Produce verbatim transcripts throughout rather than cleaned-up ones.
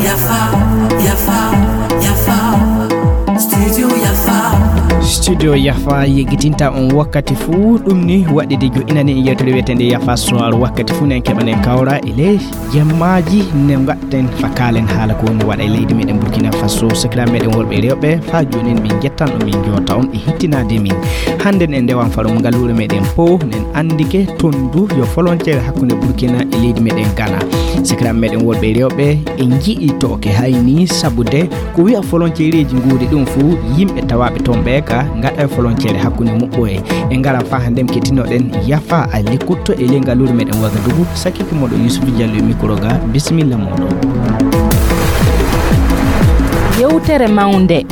Yafa, yafa, yafa. Studio yafa. Studio yafa yeggitinta on wakkati fuu. Ɗum ni waɗi de jo'inani en yewtere wiyeteende yafa soir. Wakkati fuu nen keɓanen kawra e ley jemmaaji ne gaɗɗen fa kaalen haala ko woni waɗa e leydi meɗen Burkina Faso. Sakiraaɓe meɗen worɓe e rewɓe, fa jooni min jettan on, min joota on e hittinaade min. Hannde en ndewan farum ngaluure meɗen po nen anndike tondu yo folonceere hakkunde Burkina e leydi meɗen Ghana. Sakiraaɓe meɗen worɓe e rewɓe, en ji'i tooke hayni sabude ko wi'a folonceereeji nguuri ɗum fuu yimɓe tawaaɓe toon ɓe ka ngaɗa e folonceere hakkunde muɓɓoye. En ngaran fa hannde kettinoɗen yafa a lekkutto e ley ngaluure meɗen Wagadugu. Sakiki moɗo Yusuf Diallo e mikro ga. Bisimilla moɗo. Yewtere mawnde.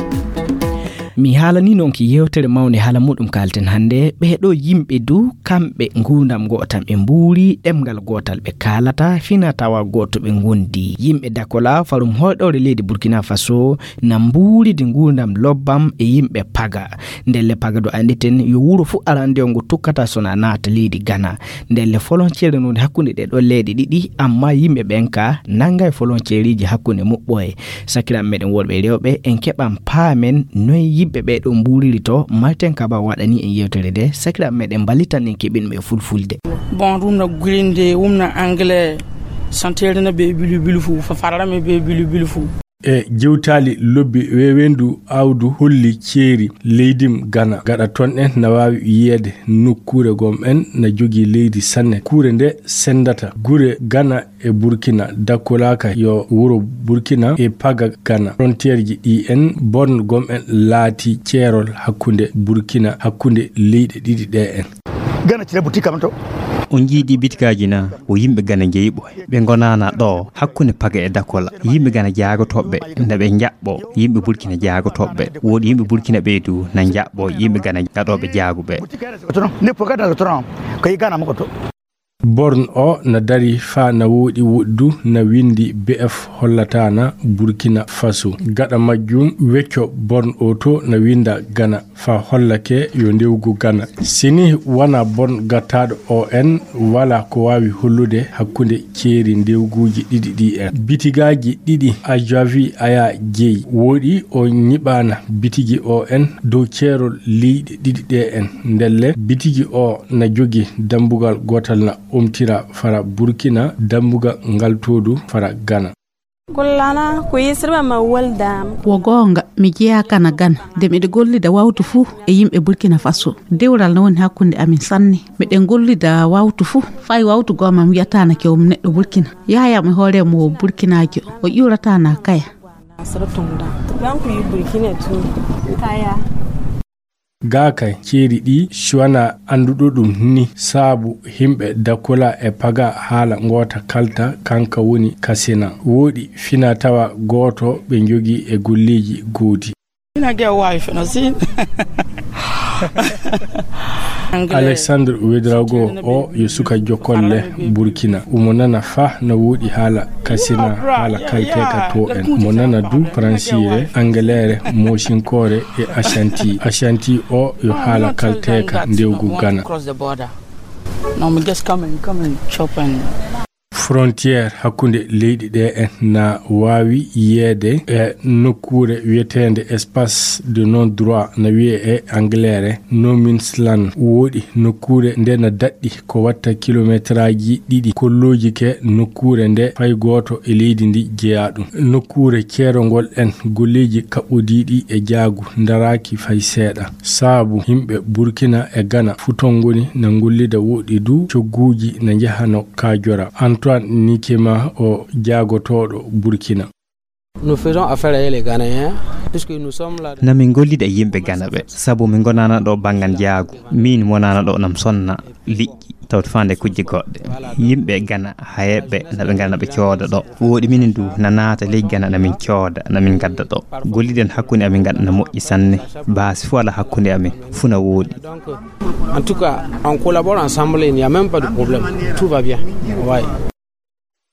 Mi haalani noon ki yewtere mawnde haala muɗum kaalten hannde. Ɓee ɗo yimɓe du kamɓe nguurndam gootam ɓe mbuuri, ɗemngal gootal ɓe kaalata, fina tawa gooto ɓe ngondi. Yimɓe Dakola, farum hoyɗoore leydi Burkina Faso, na mbuuridi nguurndam lobbam e yimɓe Paga. Ndelle Paga do annditen yo wuro fuu arandewo ngo tukkata so na naata leydi Ghana. Ndelle folonceere non hakkunde ɗee ɗoo leyɗe ɗiɗi, amma yimɓe ɓen ka nanga e folonceereeji hakkunde muɓɓoye. Sakiraaɓe meɗen worɓe e rewɓe, en keɓan paamen noy yimɓe ɓee ɗoo mbuuriri to. Martin Kaba waɗani en yewtere nde. Sakiraaɓe meɗen mballitan en keɓin mo e fulfulde. Bon, ɗum na gulinde, ɗum na anglais, santeere na be bilu bilu fu, fa farala me be bilu bilu fu. E jewtaali lobbi wewendu awdu holli ceeri leydim Ghana. Gaɗa ton en na waawi yiyeede nokkuure gom en na jogii leydi sanne. Kuure nde sendata gure Ghana e Burkina. Dakkolaka yo wuro Burkina e Paga Ghana. Frontierji ɗi en bon gom en laati ceerol hakkunde Burkina, hakkunde leyɗe ɗiɗi ɗe en. Ghana cire boutique am to. On jiidi bitikaaji na o yimɓe Ghana jeyi ɓoy. Ɓe ngonaana ɗo hakkunde Paga e Dakola. Yimɓe Ghana jaagotooɓe na ɓe njaɓɓo yimɓe Burkina jaagotooɓe. Woodi yimɓe Burkina ɓeydu na njaɓɓo yimɓe Ghana gaɗooɓe jaaguɓe. Boutique ne poga dans le tronc. Ko yi Ghana mo ko to. Born o na dari fa na woɗi woɗdu na windi B F hollatana Burkina Faso. Gaɗa majjum wecco born o to na winda Ghana fa hollake yo ndewgu Ghana. Sini wana born gattaɗo O N wala ko wawi hollude hakkunde ceeri ndewguji ɗiɗi ɗi en. Bitigaaji ɗiɗi Ajavi Aya jeyi woɗi o nyiɓana bitigi O N dow ceerol leyɗe ɗiɗi ɗe en. Ndelle bitigi o na jogi dambugal gotal na omtira fara Burkina, dambugal ngal to du fara Ghana. Kullana ko yesirɓe ma waldam. Wo goonga, mi jeyaa kana Gana, nde miɗo gollida wawtu fuu e yimɓe Burkina Faso. Dewral no woni hakkunde amin sanne. Miɗen gollida wawtu fuu, fay wawtu goo mam wiyataana kewum neɗɗo Burkina. Yahaya mo hoore mo wo Burkinaajo, o ƴuurataa na kaya. Asara tunda. Banku yi Burkina tun. Kaya. Gaa kay, ceeri ɗi, si wanaa annduɗo ɗum ni, saabu himɓe Dakola e Paga haala ngoota kalta, kanka woni Kasina. Wooɗi fina tawa gooto ɓe njogii e golleeji goodi. Ina ge waawi feno sin. Alexandre Ouedraogo o yo suka jokolle Burkina. Omo nana fa no wooɗi haala Kasina, haala kalteeka to en. Mo nana du Faransiire, Angaleere, Mosinkoore e Ashanti. Ashanti o yo haala kalteeka ndewgu Gana. No, mi just come and, come and chop and Frontière hakkunde leyɗi ɗe en na waawi yiyeede e nokkuure wiyeteende espace de non droit na wiyee e Angleere, no man's land. Wooɗi nokkuure nde na daɗɗi ko watta kilometraaji ɗiɗi, kolloojike nokkuure nde fay gooto e leydi ndi jeyaa ɗum. Nokkuure ceerongol en golleeji kaɓɓodiiɗi e jaagu ndaraaki fay seeɗa. Saabu himɓe Burkina e Gana futon ngoni na ngollida woɗɗi du cogguuji na njahano Kajora. Antoine Nikema o jaagotooɗo Burkina. Nous faisons affaire avec les Ghanéens, puisque nous sommes là. Na min gollida e yimɓe Gana ɓe, sabu min ngonaana ɗo banngal njaagu. Min wonaana ɗo nam sonna liƴƴi, tawde faande kujje goɗɗe. Yimɓe Gana, hayeɓe, na ɓe ngara na ɓe cooda ɗo. Wooɗi minen du, na naata ley Gana, na min cooda, na min ngadda ɗo. Golliden hakkunde amin ngadda na moƴƴi sanne. Baasi fof ala hakkunde amin, fuu na wooɗi. Donc, en tout cas, on collabore ensemble, il n'y a même pas de problème. Tout va bien. Ouais.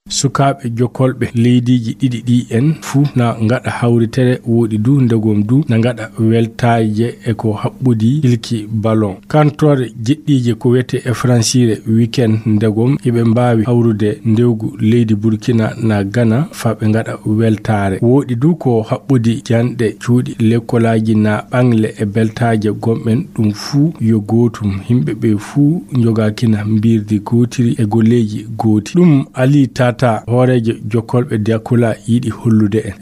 Sukaaɓe jokolɓe leydiiji ɗiɗi ɗi en fuu na ngaɗa hawritere, wooɗi du ndegom du na ngaɗa weltaaje e ko haɓɓodi ilki ballon. Kantore jeɗɗiije ko wiyetee e faransiire weekend ndegom iɓe mbaawi hawrude ndewgu leydi Burkina na Gana faa ɓe ngaɗa weltaare. Wooɗi du ko haɓɓodi janɗe cuuɗi lekkolaaji na ɓangle e beltaaje gomɗen ɗum fuu yo gootum. Yimɓe ɓe fuu njogaakina mbiirdi gootiri e golleeji gooti. Ɗum Ali Tata, hooreejo jokkolɓe Dakula yiɗi hollude en.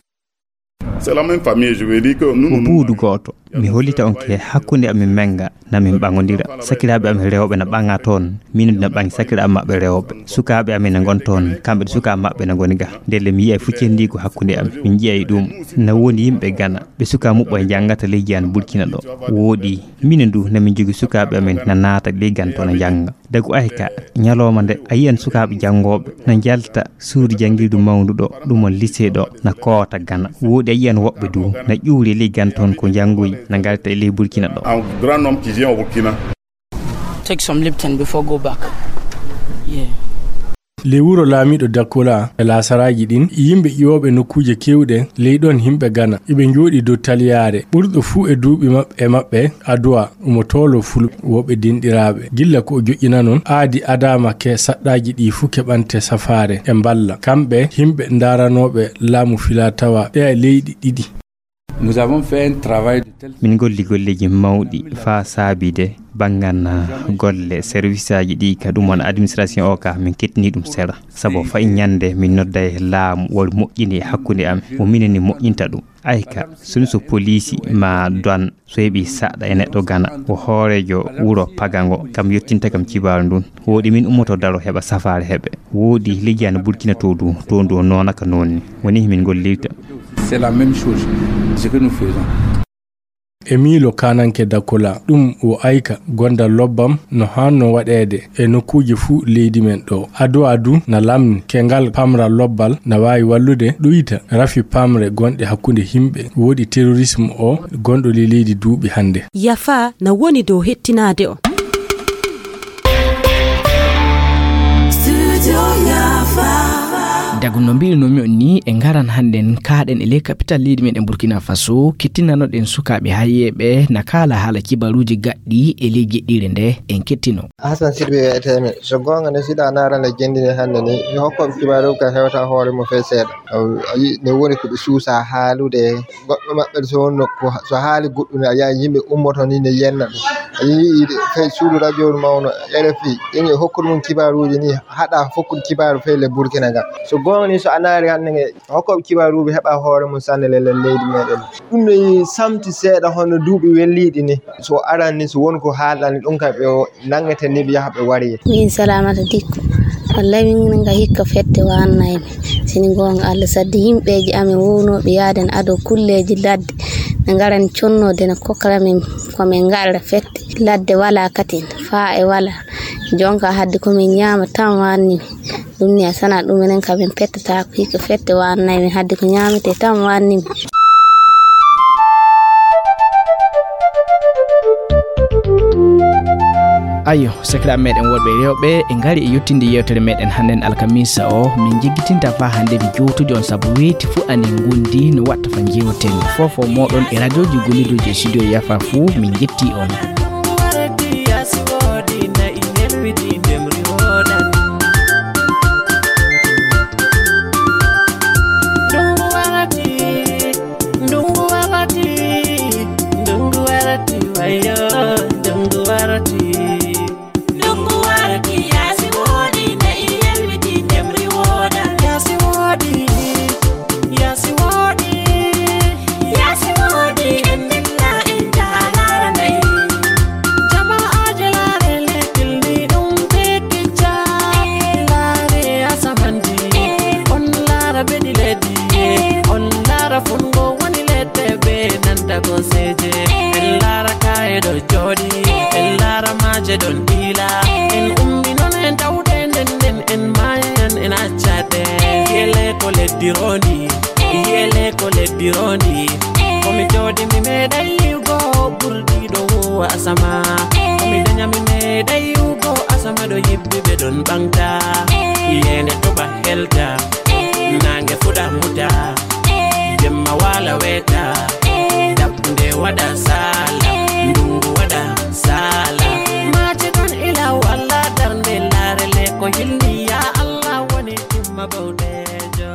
C'est la même famille, je veux dire que nous, ko nous, buudu gooto. Mi hollita on ke hakkunde amin menga na min ɓaŋodira. Sakiraaɓe amin rewɓe na ɓaŋa toon, minen na ɓaŋi sakiraaɓe maɓɓe rewɓe. Sukaaɓe amin na ngon toon, kamɓe sukaaɓe maɓɓe na ngoni ga. Ndelle mi yi'ay fuccendiigu hakkunde amin. Min nji'ay ɗum na woni yimɓe Gana. Ɓe suka muɓɓo e njanngata leydi an Burkina ɗo. Wooɗi, minen du na min jogi sukaaɓe amin na naata leydi an toon na njannga. Dagu ay ka, ñalooma nde, a yi'an sukaaɓe janngooɓe na njalta suudu janngirdu mawndu ɗo, ɗum on lycée ɗo, na koota Gana. Wooɗi a yi'an woɓɓe du na ƴuuri e ley Gana toon ko njanngoyi, na ngarta e ley Burkina ɗo. Un grand homme qui vient au Burkina. Take some Lipton before go back. Yeah. Ley wuro laamiiɗo Dakola e laasaraaji ɗin, yimɓe ƴiwooɓe nokkuuje keewɗe ley ɗon yimɓe Gana, iɓe njooɗii dow taliyaare. Ɓurɗo fuu e duuɓi maɓɓe, e maɓɓe, Aduwa, omo tooloo Fulɓe, woɓɓe denɗiraaɓe. Gilla ko o joƴƴinanon, aadi adaama ke saɗɗaaji ɗi fuu keɓante safaare e mballa. Kamɓe, yimɓe ndaaranooɓe laamu filaa tawaa ɗeya leyɗi ɗiɗi. Nous avons fait un travail de telle Min golli golleeji mawɗi faa saabii de banngan, ah, golle serviceaaji ɗi ka ɗum woni administration o ka min kettini ɗum seeɗa. Sabu fay ñannde min nodday laamu woni moƴƴini e hakkunde am, mo minen ni moƴƴinta ɗum. Ay ka, sunu so poliisi ma douane so heɓi saɗɗa e neɗɗo Gana, o hooreejo wuro Pagango, kam yottinta kam cibaaru ndun. Wooɗi min ummoto daro heɓa safaare heɓe. Wooɗi leydi an Burkina to du, to ndu o noona ka noon ni. Woni min gollirta. C'est la même chose, ce que nous faisons. Emilo Kananke Dakola, ɗum o ayka gonda lobbam no hanno waɗeede e nokkuuje fuu leydi men ɗo. Ado adu na lamni ke ngal pamra lobbal na waawi wallude ɗuyta rafi pamre gonɗe hakkunde yimɓe. Wooɗi terrorisme o gonɗo ley leydi duuɓi hannde. Yafa na woni dow hettinaade on. Dagu no mbiirnoomi on ni, e ngaran hannden kaaɗen e ley kapital leydi meɗen Burkina Faso, kettinanoɗen sukaaɓe hayeeɓe na kaala haala kibaruuji gaɗɗi e ley jeɗɗiire nde en kettino. Hassan Sidibé wiyetee mi. So goonga ne, siɗa naarana jendini hannde ni, mi hokkoɓe kibaaru ka hewta hoore mo fee seeɗa. A yi-, ne woni ko ɓe suusa haalude. Goɗɗo maɓɓe so wonno ko, so haali goɗɗum, a yi'ay yimɓe ummoto ni ne yenna ɗum. A yi'i fay suudu radio mawno, R F I, ene hokkude mum kibaaruuji ni, haɗa hokkude kibaaru fay le Burkina ga. So goonga ni, so a naari hannde nge, hokkoɓe kibaaruuji heɓa hoore mum sanne le, le leydi meɗen. Ɗum ne samti seeɗa hono duuɓi welliiɗi ni. So aran ni, so won ko haalani ɗum ka ɓe o, nangeten ni ɓe yaha ɓe wari. Min Salamata Dikko. Wallay min nga hikka fette wannay mi. Sini goonga Allah saddi yimɓeeji amin wownooɓe yaaden ado kulleeji ladde. Ne ngaran connoode ne kokkara min ko min ngarra fette. Ladde wala katin, faa e wala. Jonka haddi ko min ñaama tan wanni mi. Ɗum ni a sana ɗum enen ka min pettata ko hikka fette wannay mi haddi ko ñaamete tan wanni mi. Ayo, sakiraaɓe meɗen worɓe e rewɓe, e ngari e yettinde yewtere meɗen hannden alkamisa o. Min jiggitinta faa hannde mi jowtude on sabu weeti fuu anen ngondi no watta fa jewten. Fofo moɗon e radioji gollidoji e studio Yafa fuu, min jetti on. Ndungu warati, ndungu warati, ndungu warati, wayo, ndungu warati. Ndungu warati, yaasi woodi, ne i yelwiti, ndemri wooda. Yaasi woodi, yaasi woodi, yaasi woodi, en ndilla, en jaha laara nayi. Jama'aaje laare, lekkil ni ɗum be tijja. Laare asamanji, on laara bedi leddi, on laara fungo woni ledde be nanta gooseeje. En laara kaa'e ɗo jooɗi, en laara maaje ɗon ɗiila. En ummi non en tawde nden nden en maayan en accade. Yele ko leddi roondi, yele ko leddi roondi. Ko mi jooɗi mi meeɗay yi'ugo ɓurɗi ɗo huuwa asama. Ko mi danya mi meeɗay yi'ugo asama ɗo yibbi ɓe ɗon ɓaŋgta. Yende toɓa helta, nange fuɗa muta, jemma wala weta, daɓɓunde waɗa sala, ndungu waɗa sala. Mace ɗon ila walla darnde, larele ko hilni, ya Allah woni timma bawɗejo.